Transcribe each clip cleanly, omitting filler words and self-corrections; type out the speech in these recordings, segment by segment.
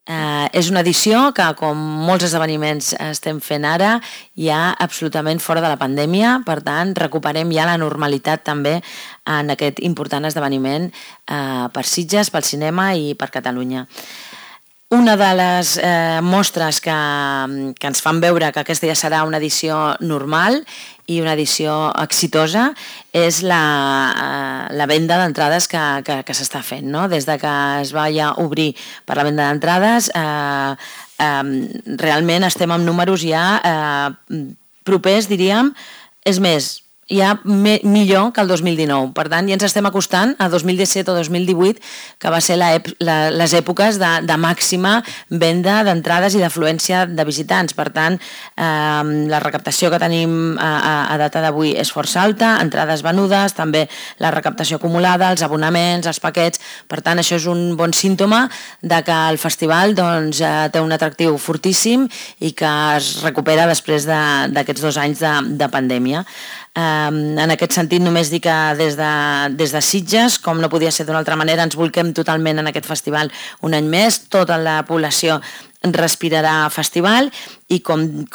És una edició que, com molts esdeveniments estem fent ara, ja absolutament fora de la pandèmia, per tant, recuperem ja la normalitat també en aquest important esdeveniment per Sitges, pel cinema i per Catalunya. Una de les mostres que ens fan veure que aquesta ja serà una edició normal i una edició exitosa és la venda d'entrades que s'està fent, no? Des de que es va ja obrir per la venda d'entrades, realment estem amb números ja propers, diríem, és més, ja millor que el 2019. Per tant, ja ens estem acostant a 2017 o 2018, que va ser les èpoques de màxima venda d'entrades i d'afluència de visitants. Per tant, la recaptació que tenim a data d'avui és força alta, entrades venudes, també la recaptació acumulada, els abonaments, els paquets. Per tant, això és un bon símptoma de que el festival té un atractiu fortíssim i que es recupera després d'aquests 2 anys de pandèmia. En aquest sentit, només dir que des de Sitges, com no podia ser d'una altra manera, ens bolquem totalment en aquest festival un any més. Tota la població respirarà festival i, com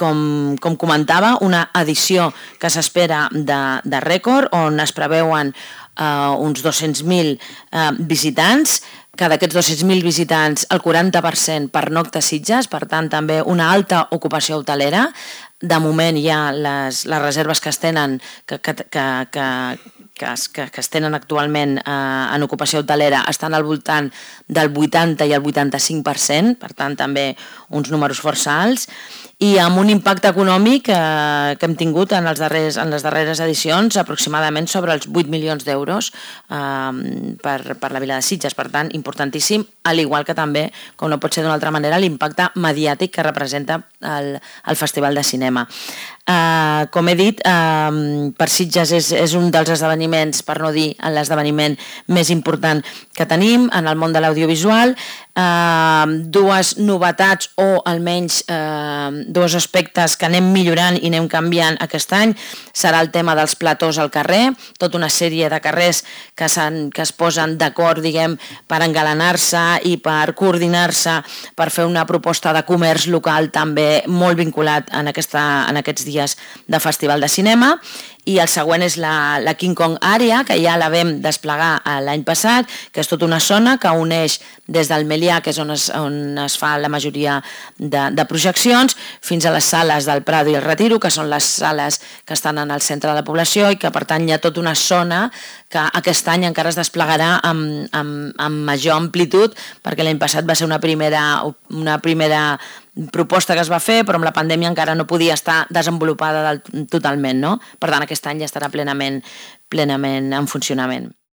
comentava, una edició que s'espera de rècord, on es preveuen uns 200.000 visitants, que d'aquests 200.000 visitants el 40% pernocta a Sitges, per tant també una alta ocupació hotelera. De moment ja les reserves que es tenen que es tenen actualment en ocupació hotelera estan al voltant del 80 i el 85%, per tant també uns números força alts, i amb un impacte econòmic que hem tingut en les darreres edicions aproximadament sobre els 8 milions d'euros per la vila de Sitges. Per tant, importantíssim, al igual que també, com no pot ser d'una altra manera, l'impacte mediàtic que representa el Festival de Cinema. Com he dit, per Sitges és un dels esdeveniments, per no dir l'esdeveniment més important que tenim en el món de l'audiovisual. 2 novetats o almenys 2 aspectes que anem millorant i anem canviant aquest any serà el tema dels platós al carrer, tota una sèrie de carrers que es posen d'acord, diguem, per engalanar-se i per coordinar-se per fer una proposta de comerç local també molt vinculat en aquests dies de Festival de Cinema. I el següent és la King Kong Area, que ja la vam desplegar l'any passat, que és tota una zona que uneix des del Melià, que és on es fa la majoria de projeccions, fins a les sales del Prado i el Retiro, que són les sales que estan en el centre de la població i que, per tant, hi ha tota una zona que aquest any encara es desplegarà amb major amplitud, perquè l'any passat va ser una primera proposta que es va fer, però amb la pandèmia encara no podia estar desenvolupada totalment, no? Per tant, aquest any ja estarà plenament en funcionament.